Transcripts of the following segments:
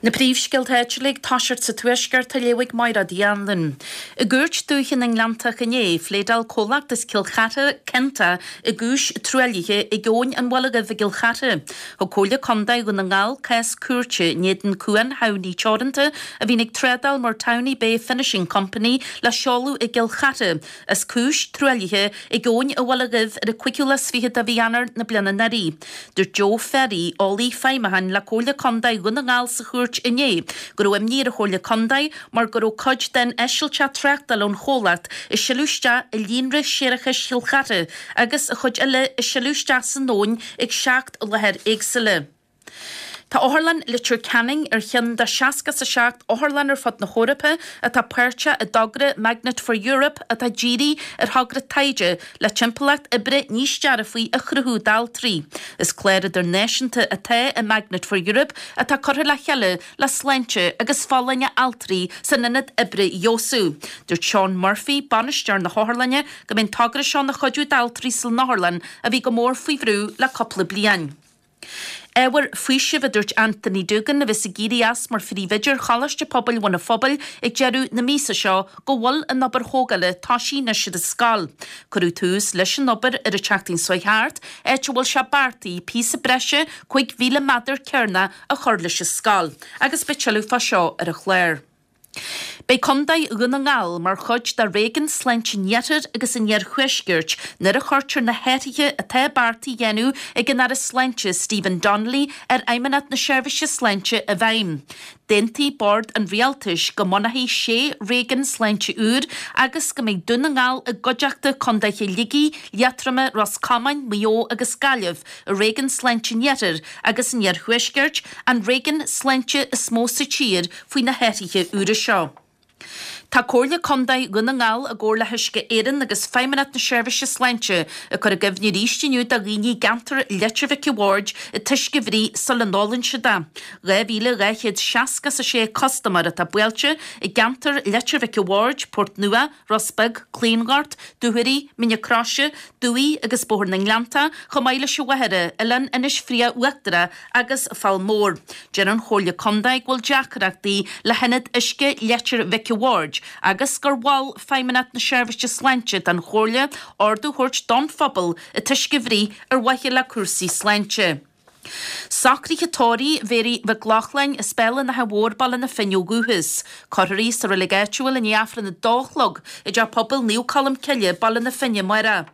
Na príomhscéalta áitiúla ag toiseacht sa Tuaisceart á léamh ag Máiréad Uí Anluain. I gCúirt Dúiche na nGleanntach inné, phléadáil comhlacht as Cill Chartha, Kenta, i gcúis truaillithe ag Abhainn an Bhaile Dhuibh i gCill Chartha. Thug Comhairle Contae Dhún na nGall cás cúirte in éadan Cuan Thamhnaí Teoranta, a bhíonn ag trádáil mar Towney Bay Finishing Company le seoladh i gCill Chartha, as cúis truaillithe ag Abhainn an Bhaile Dhuibh ar an cúigiú lá is fichead de mhí Eanáir na bliana anuraidh. Dúirt Joe Ferry, eolaí feidhmiúcháin le Comhairle Contae Dhún na nGall sa chúirt inné go raibh imní ar an Chomhairle Contae mar go raibh cuid den eisilteach tráchtála ón chomhlacht ag sileadh isteach i líonra séarachais Chill Chartha agus an chuid eile ag sileadh isteach san abhainn ag 7 láthair éagsúla. Tá Otharlann Leitir Ceanainn ar cheann de 67 otharlann ar fud na hEorpa atá páirteach i dtogra Magnet for Europe atá dírithe ar thogra taighde le timpeallacht oibre níos dearfaí a chruthú d'altraí. Is clár idirnáisiúnta atá i Magnet for Europe atá curtha le chéile le sláinte agus folláine altraí san ionad oibre a fheabhsú. Dúirt Seán Murphy, bainisteoir na hotharlainne, go mbeidh an togra seo ina chuidiú d'altraí san otharlann a bhí go mór faoi bhrú le cúpla bliain. Ábhar faoisimh, a dúirt Anthony Doogan, a bheas ag éirí as mar phríomhoide ar Choláiste Pobail Bhun an Phobail ag deireadh na míosa seo, go bhfuil an obair thógála tosaithe anois ar an scoil. Cuireadh tús leis an obair ar an tseachtain seo thart, áit a bhfuil sé beartaithe píosa breise 5,000 méadar cearnach a chur leis an scoil. Agus beidh tuilleadh fá seo ar an chlár. Beidh Contae Dhún na nGall mar chuid de Réigiún Sláinte an Iarthair agus an Iarthuaiscirt nuair a chuirtear na hathruithe atá beartaithe a dhéanamh ag an Aire Sláinte Stephen Donnelly ar Fheidhmeannacht na Seirbhíse Sláinte i bhfeidhm. D'aontaigh Bord an Rialtais go mbunófaí sé réigiún sláinte úr agus go mbeidh Dún na nGall i gcuideachta contaetha Shligigh, Liatroma, Ros Comáin, Maigh Eo agus Gaillimh i Réigiún Sláinte an Iarthair agus an Iarthuaiscirt, an réigiún sláinte is mó sa tír faoi na hathruithe úra seo. Tá Comhairle Contae Dhún na nGall i gcomhar le hUisce Éireann agus Feidhmeannacht na Seirbhíse Sláinte ag cur i gcuimhne arís inniu do dhaoine i gceantar Leitir Mhic a' Bhaird an t-uisce a bhruith sula n-ólann siad é. 2,266 custaiméir atá buailte i gceantar Leitir Mhic a' Bhaird, Port Nua, Ros Beag, Claongort, Dúchoraidh, Mín na Croise, Dumhaigh agus Bóthar na nGleanntach, chomh maith leis an Mhachaire, Oileán Inis Fraoch Uachtarach agus Fál Mór. Deir an Chomhairle Contae go bhfuil deacrachtaí le hIonad Uisce Leitir Mhic a' Bhaird agus gur mhol Feidhmeannacht na Seirbhíse Sláinte don Chomhairle ordú a thabhairt don phobal an t-uisce a bhruith ar mhaithe le cúrsaí sláinte. Socruithe tórraimh Mhéaraí Mhic Lochlainn as Béal an Átha Mhóir, Baile na Finne ó dhúchas. Cuirfear í sa reilig áitiúil i ndiaidh Aifreann a dó a chlog i dTeach Pobail Naomh Colm Cille, Baile na Finne, amárach.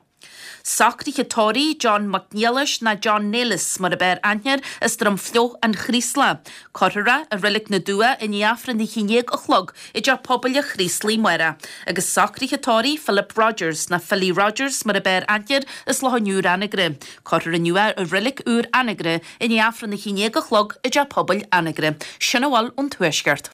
Socruithe tórraimh John Mac Niallais ná John Nailis mar ab fhearr aithne air as Droim Fliuch, An Chraoslach. Cuirfear é i Reilig na Dumhcha i ndiaidh Aifreann a haon déag a chlog i dTeach Pobail an Chraoslaigh amárach. Agus socruithe tórraimh Philip Rogers ná Philly Rogers mar ab fhearr aithne air as Loch an Iúir Anagaire. Cuirfear inniu é i Reilig Úr Anagaire i ndiaidh Aifreann a haon déag a chlog i dTeach Pobail Anagaire. Sin a bhfuil ón Tuaisceart.